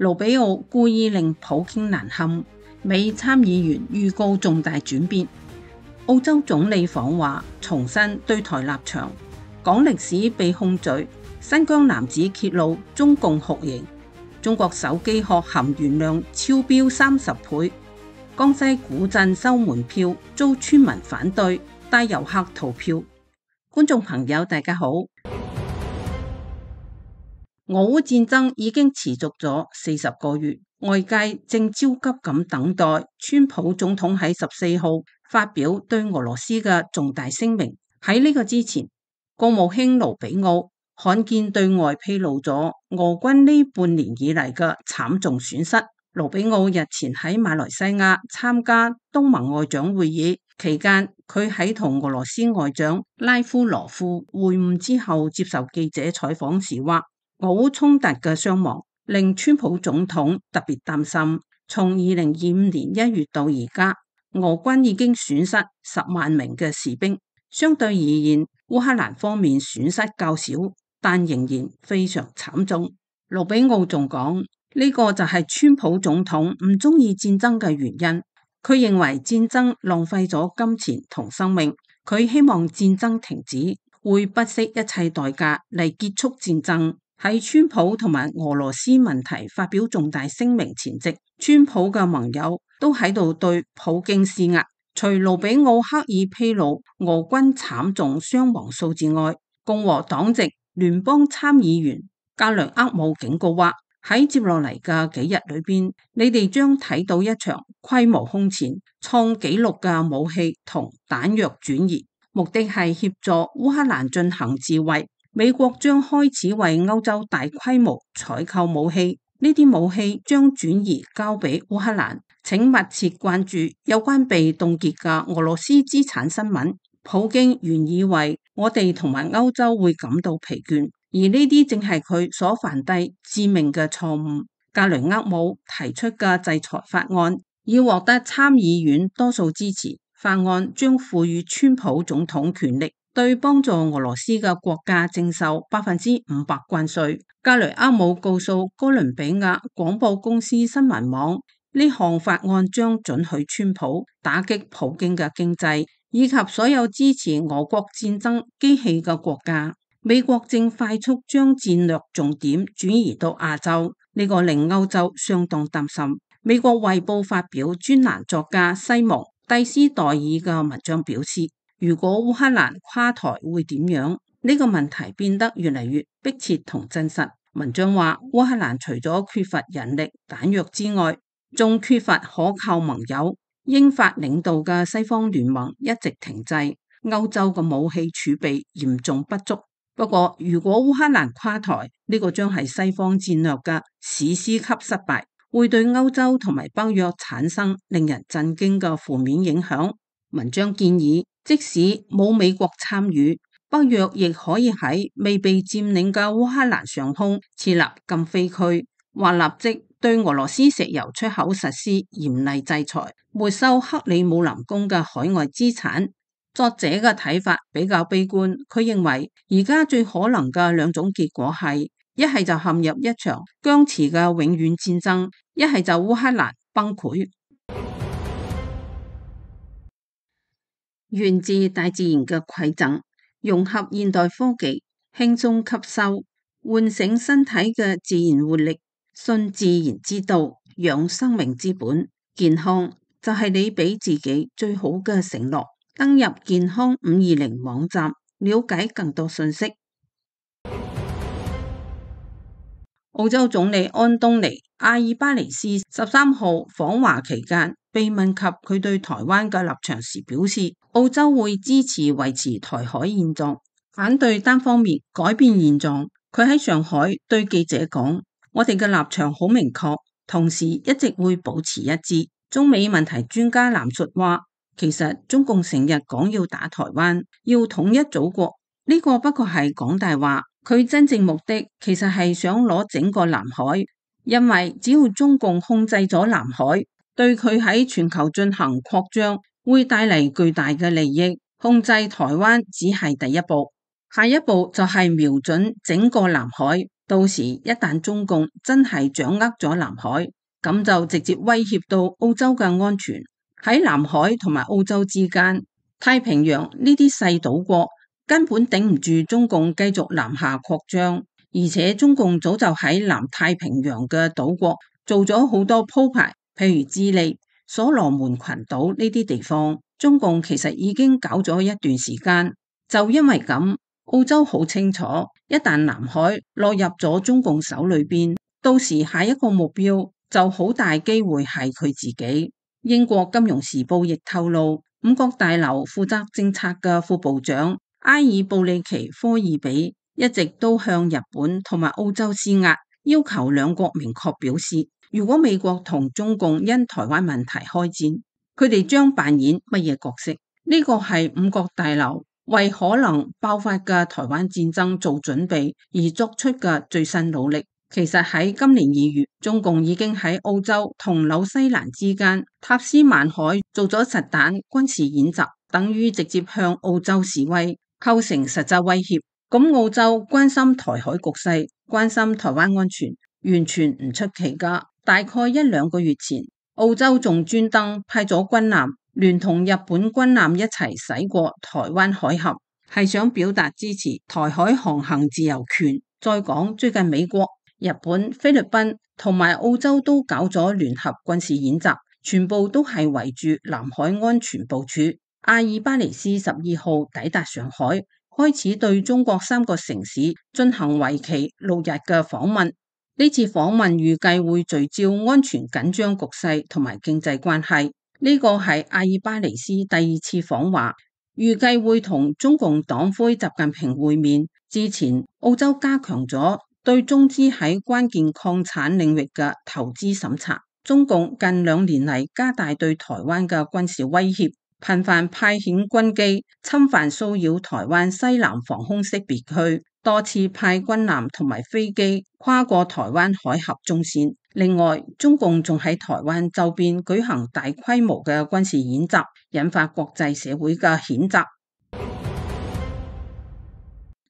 盧比奧故意令普京難堪，美參議員預告重大轉變。澳洲總理訪華，重申對台立場。講歷史被控罪，新疆男子揭露中共酷刑。中國手機殼含鉛量超標30倍。江西古鎮收門票遭村民反對，帶遊客逃票。觀眾朋友大家好。俄烏戰爭已經持續咗40個月，外界正焦急咁等待川普總統喺14號發表對俄羅斯嘅重大聲明。喺呢個之前，國務卿盧比奧罕見對外披露咗俄軍呢半年以嚟嘅慘重損失。盧比奧日前喺馬來西亞參加東盟外長會議期間，佢喺同俄羅斯外長拉夫羅夫會晤之後接受記者採訪時話，俄烏衝突嘅傷亡令川普總統特別擔心。從2025年1月到而家，俄軍已經損失10萬名嘅士兵。相對而言，烏克蘭方面損失較少，但仍然非常慘重。盧比奧仲講，呢個就係川普總統唔中意戰爭嘅原因。佢認為戰爭浪費咗金錢同生命，佢希望戰爭停止，會不惜一切代價嚟結束戰爭。喺川普同埋俄羅斯問題發表重大聲明前夕，川普嘅盟友都喺度對普京施壓。除盧比奧刻意披露俄軍慘重傷亡數字外，共和黨籍聯邦參議員格雷厄姆警告話，喺接落嚟嘅幾日裏邊，你哋將睇到一場規模空前、創紀錄嘅武器同彈藥轉移，目的係協助烏克蘭進行自衛。美國將開始為歐洲大規模採購武器，呢啲武器將轉移交俾烏克蘭。請密切關注有關被凍結嘅俄羅斯資產新聞。普京原以為我哋同埋歐洲會感到疲倦，而呢啲正係佢所犯低致命嘅錯誤。格雷厄姆提出嘅制裁法案已獲得參議院多數支持，法案將賦予川普總統權力，對幫助俄羅斯嘅國家徵收500%關稅。格雷厄姆告訴哥倫比亞廣播公司新聞網，呢項法案將准許川普打擊普京嘅經濟，以及所有支持俄國戰爭機器嘅國家。美國正快速將戰略重點轉移到亞洲，呢個令歐洲相當擔心。美國衛報發表專欄作家西蒙蒂斯代爾嘅文章表示，如果烏克蘭垮台會點樣？呢個問題變得越嚟越迫切同真實。文章話，烏克蘭除咗缺乏人力彈藥之外，仲缺乏可靠盟友。英法領導嘅西方聯盟一直停滯，歐洲嘅武器儲備嚴重不足。不過，如果烏克蘭垮台，呢個將係西方戰略嘅史詩級失敗，會對歐洲同埋北約產生令人震驚嘅負面影響。文章建議，即使冇美國參與，北約亦可以喺未被佔領嘅烏克蘭上空設立禁飛區，或立即對俄羅斯石油出口實施嚴厲制裁，沒收克里姆林宮嘅海外資產。作者嘅睇法比較悲觀，佢認為而家最可能嘅兩種結果係，一係就陷入一場僵持嘅永遠戰爭，一係就烏克蘭崩潰。源自大自然嘅饋贈，融合現代科技，輕鬆吸收，喚醒身體嘅自然活力，信自然之道，養生命之本。健康就係你俾自己最好嘅承諾。登入健康520網站，了解更多信息。澳洲總理安東尼·阿爾巴尼斯13號訪華期間，被問及佢對台灣嘅立場時表示，澳洲會支持維持台海現狀，反對單方面改變現狀。佢喺上海對記者講，我哋嘅立場好明確，同時一直會保持一致。中美問題專家藍述話，其實中共成日講要打台灣，要統一祖國，呢個不過係講大話。佢真正目的其實係想攞整個南海，因為只要中共控制咗南海，對佢喺全球進行擴張會帶嚟巨大嘅利益。控制台灣只係第一步，下一步就係瞄準整個南海，到時一旦中共真係掌握咗南海，咁就直接威脅到澳洲嘅安全。喺南海同埋澳洲之間，太平洋呢啲細島國根本頂唔住中共繼續南下擴張，而且中共早就喺南太平洋嘅島國做咗好多鋪排，譬如智利、所羅門群島呢啲地方，中共其實已經搞咗一段時間。就因為咁，澳洲好清楚，一旦南海落入咗中共手裏邊，到時下一個目標就好大機會係佢自己。英國金融時報亦透露，五角大樓負責政策嘅副部長埃爾布里奇科爾比一直都向日本同埋澳洲施壓，要求兩國明確表示，如果美國同中共因台灣問題開戰，佢哋將扮演乜嘢角色？呢個係五角大樓為可能爆發嘅台灣戰爭做準備而作出嘅最新努力。其實喺今年2月，中共已經喺澳洲同紐西蘭之間塔斯曼海做咗實彈軍事演習，等於直接向澳洲示威，構成實質威脅。咁澳洲關心台海局勢，關心台灣安全，完全唔出奇噶。大概1-2個月前，澳洲仲專登派咗軍艦聯同日本軍艦一齊駛過台灣海峽，係想表達支持台海航行自由權。再講最近美國、日本、菲律賓同埋澳洲都搞咗聯合軍事演習，全部都係圍住南海安全部署。阿爾巴尼斯12號抵達上海，開始對中國3個城市進行為期6日嘅訪問。呢次訪問預計會聚焦安全緊張局勢同埋經濟關係。呢個係阿爾巴尼斯第2次訪華，預計會同中共黨魁習近平會面。之前澳洲加強咗對中資喺關鍵礦產領域嘅投資審查。中共近2年嚟加大對台灣嘅軍事威脅，頻繁派遣軍機侵犯騷擾台灣西南防空識別區，多次派軍艦同埋飛機跨過台灣海峽中線。另外，中共仲喺台灣周邊舉行大規模嘅軍事演習，引發國際社會嘅譴責。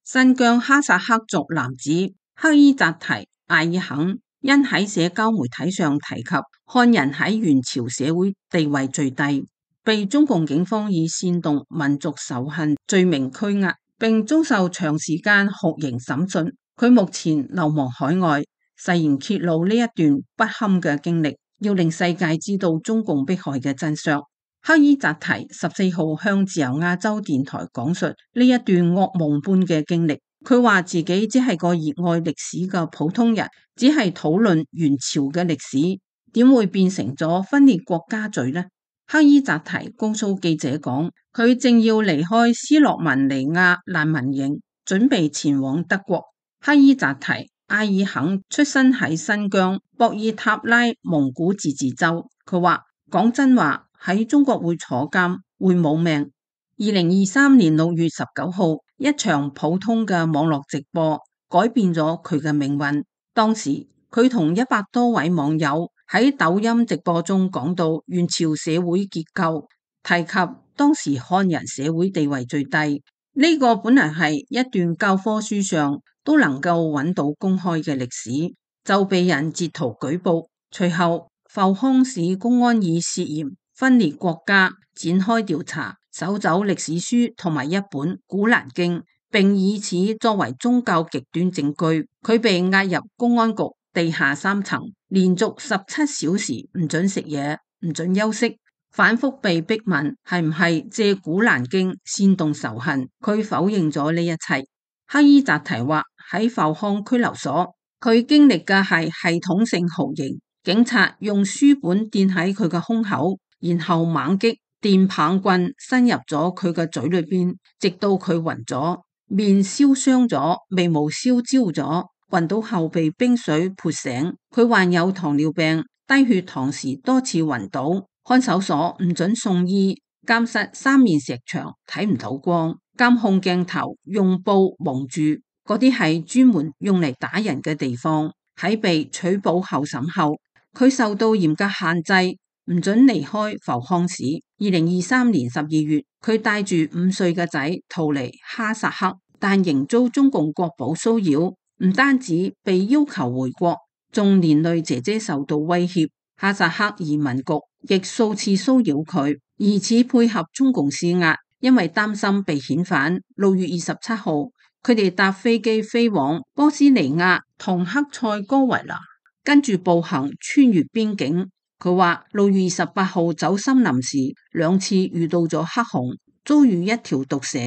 新疆哈薩克族男子克伊扎提艾爾肯因喺社交媒體上提及漢人喺元朝社會地位最低，被中共警方以煽動民族仇恨罪名拘押，並遭受長時間酷刑審訊。佢目前流亡海外，誓言揭露呢一段不堪嘅經歷，要令世界知道中共迫害嘅真相。克伊扎提14號向自由亞洲電台講述呢一段噩夢般嘅經歷。佢話自己只係個熱愛歷史嘅普通人，只係討論元朝嘅歷史，點會變成咗分裂國家罪呢？克伊扎提告訴記者講，佢正要離開斯洛文尼亞難民營，準備前往德國。克伊扎提艾爾肯出生喺新疆博爾塔拉蒙古自治州。佢話講真話，喺中國會坐監，會冇命。2023年6月19號，一場普通嘅網絡直播改變咗佢嘅命運。當時佢同100多位網友喺抖音直播中講到元朝社會結構，提及當時漢人社會地位最低。呢個本來係一段教科書上都能夠揾到公開嘅歷史，就被人截圖舉報。隨後阜康市公安以涉嫌分裂國家展開調查，搜走歷史書同埋一本《古蘭經》，並以此作為宗教極端證據。佢被押入公安局地下3層，連續17小時唔准食嘢，唔准休息，反覆被逼問係唔係借《古蘭經》煽動仇恨。佢否認咗呢一切。克伊扎提話喺阜康拘留所，佢經歷嘅係系統性酷刑。警察用書本墊喺佢嘅胸口，然後猛擊，電棒棍伸入咗佢嘅嘴裏邊，直到佢暈咗，面燒傷咗，眉毛燒焦咗，暈到後被冰水潑醒。佢患有糖尿病，低血糖時多次暈倒。看守所唔准送醫，監室3面石牆，睇唔到光。監控鏡頭用布蒙住，嗰啲係專門用嚟打人嘅地方。喺被取保候審後，佢受到嚴格限制，唔准離開阜康市。2023年12月，佢帶住5歲嘅仔逃離哈薩克，但仍遭中共國保騷擾，唔單止被要求回國，仲連累姐姐受到威脅。哈薩克移民局亦數次騷擾佢，疑似配合中共施壓，因為擔心被遣返。6月27號，佢哋搭飛機飛往波斯尼亞同克塞哥維那，跟住步行穿越邊境。佢話6月28號走森林時2次遇到咗黑熊，遭遇一條毒蛇。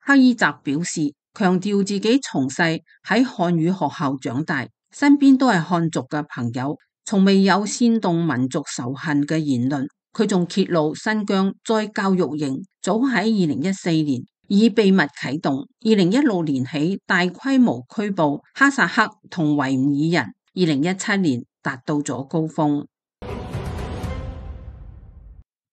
克伊澤表示，強調自己從細喺漢語學校長大，身邊都係漢族嘅朋友，從未有煽動民族仇恨嘅言論。佢仲揭露新疆再教育營早喺2014年已秘密啟動，2016年起大規模拘捕哈薩克同維吾爾人，2017年達到咗高峰。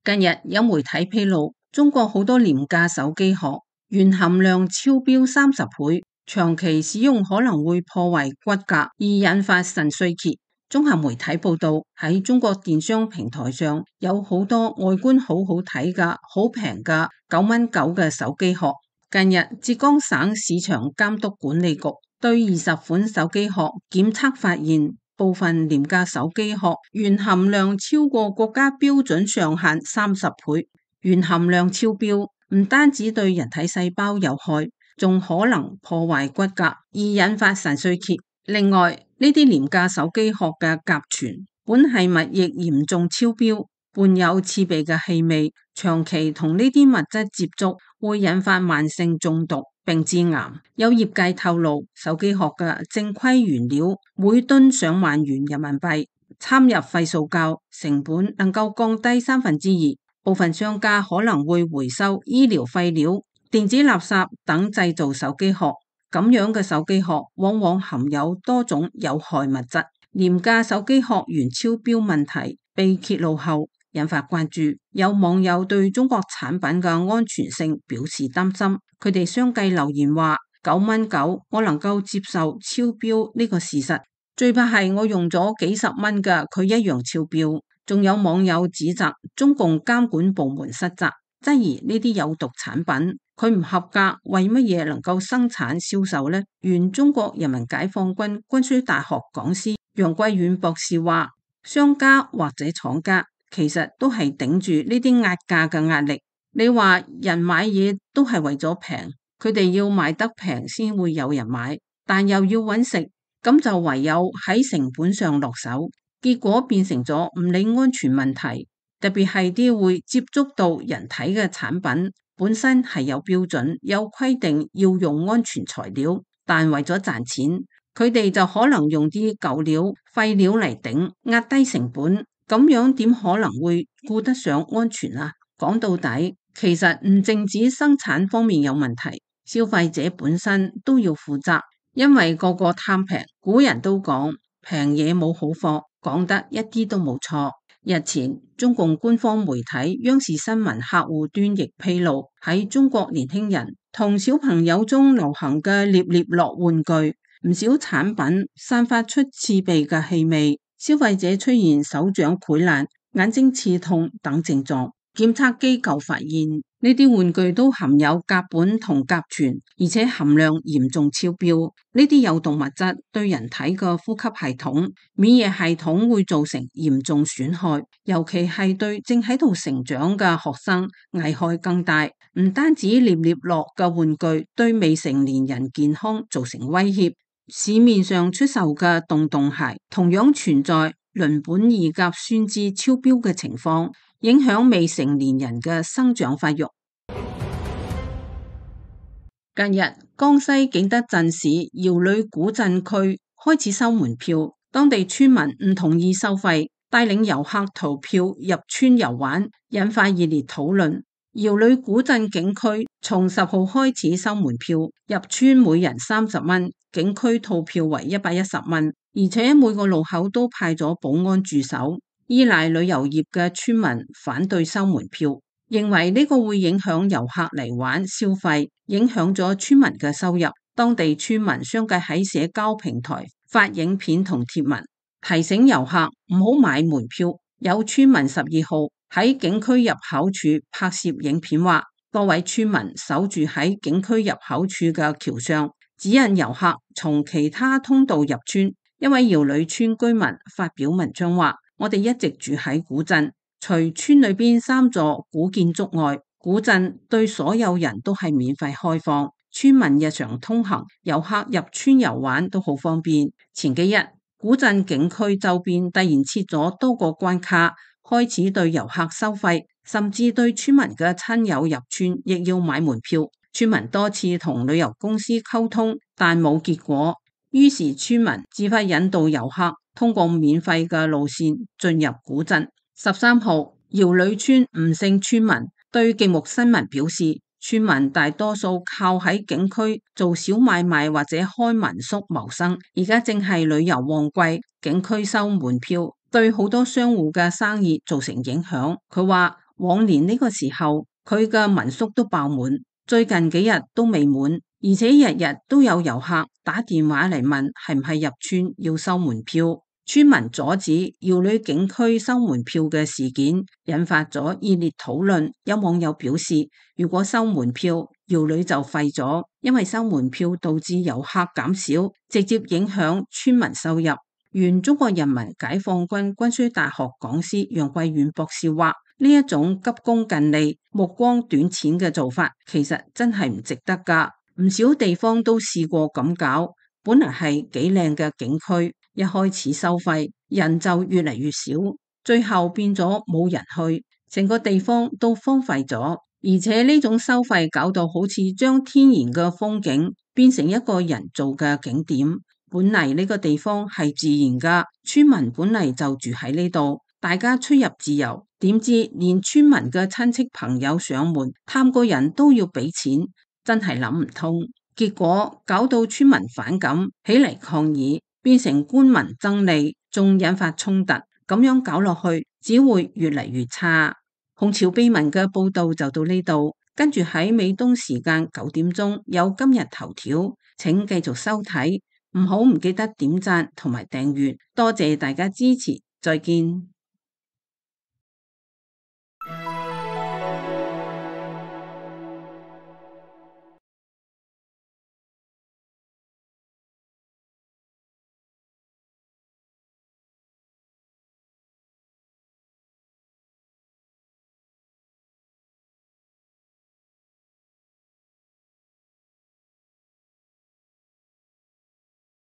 近日有媒體披露，中國好多廉價手機殼鉛含量超標30倍，長期使用可能會破壞骨骼而引發腎衰竭。綜合媒體報道，喺中國電商平台上有好多外觀好好睇嘅好平嘅9.9嘅手機殼。近日浙江省市場監督管理局對20款手機殼檢測發現，部分廉價手機殼鉛含量超過國家標準上限30倍。鉛含量超標唔單止對人體細胞有害，仲可能破壞骨骼而引發腎衰竭。另外，呢啲廉價手機殼嘅甲醛、苯係物亦嚴重超標，伴有刺鼻嘅氣味，長期同呢啲物質接觸會引發慢性中毒並致癌。有業界透露，手機殼嘅正規原料每噸上萬元人民幣，摻入廢塑膠，成本能夠降低2/3。部分商家可能會回收醫療廢料、電子垃圾等製造手機殼。咁樣嘅手機殼往往含有多種有害物質。廉價手機殼鉛超標問題被揭露後，引發關注。有網友對中國產品嘅安全性表示擔心，佢哋相繼留言話9.9我能夠接受超標呢個事實，最怕係我用咗幾十蚊嘅佢一樣超標。仲有網友指責中共監管部門失責，質疑呢啲有毒產品佢唔合格，為乜嘢能夠生產銷售呢？原中國人民解放軍軍需大學講師楊貴遠博士話，商家或者廠家其實都係頂住呢啲壓價嘅壓力。你話人買嘢都係為咗平，佢哋要賣得平先會有人買，但又要揾食，咁就唯有喺成本上落手，結果變成咗唔理安全問題。特別係啲會接觸到人體嘅產品，本身係有標準有規定要用安全材料，但為咗賺錢，佢哋就可能用啲舊料廢料嚟頂，壓低成本。咁樣點可能會顧得上安全啊？講到底，其實唔淨止生產方面有問題，消費者本身都要負責，因為個個貪平。古人都講平嘢冇好貨，講得一啲都冇錯。日前，中共官方媒體央視新聞客戶端亦披露，喺中國年輕人同小朋友中流行嘅獵獵樂玩具，唔少產品散發出刺鼻嘅氣味，消費者出現手掌潰爛、眼睛刺痛等症狀。檢測機構發現呢啲玩具都含有甲苯同甲醛，而且含量嚴重超標。呢啲有毒物質對人體嘅呼吸系統、免疫系統會造成嚴重損害，尤其係對正喺度成長嘅學生危害更大。唔單止獵獵樂嘅玩具對未成年人健康造成威脅，市面上出售嘅洞洞鞋同樣存在鄰苯二甲酸酯超標嘅情況，影響未成年人嘅生長發育。近日，江西景德鎮市瑤里古鎮區開始收門票，當地村民唔同意收費，帶領遊客逃票入村遊玩，引發熱烈討論。瑤里古鎮景區從10號開始收門票，入村每人30蚊，景區套票為110蚊，而且每個路口都派咗保安駐守。依賴旅遊業嘅村民反對收門票，認為呢個會影響遊客嚟玩消費，影響咗村民嘅收入。當地村民相繼喺社交平台發影片同貼文，提醒遊客唔好買門票。有村民12號喺景區入口處拍攝影片話，多位村民守住喺景區入口處嘅橋上，指引遊客從其他通道入村。一位瑤里村居民發表文章話：我哋一直住喺古鎮，除村裏邊3座古建築外，古鎮對所有人都係免費開放，村民日常通行，遊客入村遊玩都好方便。前幾日，古鎮景區周邊突然設咗多個關卡，開始對遊客收費，甚至對村民嘅親友入村亦要買門票。村民多次同旅遊公司溝通，但冇結果。於是村民自發引導遊客通過免費嘅路線進入古鎮。13號，瑤里村吳姓村民對極目新聞表示，村民大多數靠喺景區做小買賣或者開民宿謀生，而家正係旅遊旺季，景區收門票對好多商戶嘅生意造成影響。佢話往年呢個時候佢嘅民宿都爆滿，最近幾日都未滿，而且日日都有遊客打電話嚟問係唔係入村要收門票。村民阻止瑤里景區收門票嘅事件引發咗熱烈討論。有網友表示，如果收門票，瑤里就廢咗，因為收門票導致遊客減少，直接影響村民收入。原中國人民解放軍軍需大學講師楊貴遠博士話：呢一種急功近利、目光短淺嘅做法，其實真係唔值得㗎。唔少地方都試過咁搞，本來係幾靚嘅景區，一開始收費，人就越嚟越少，最後變咗冇人去，成個地方都荒廢咗。而且呢種收費搞到好似將天然嘅風景變成一個人造嘅景點。本嚟呢個地方係自然㗎，村民本嚟就住喺呢度，大家出入自由。點知連村民嘅親戚朋友上門探個人都要俾錢，真係諗唔通。結果搞到村民反感，起嚟抗議，變成官民爭利，仲引發衝突。咁樣搞落去，只會越嚟越差。紅潮秘聞嘅報道就到呢度，跟住喺美東時間9點鐘有今日頭條，請繼續收睇，唔記得點讚同埋訂閱，多謝大家支持，再見。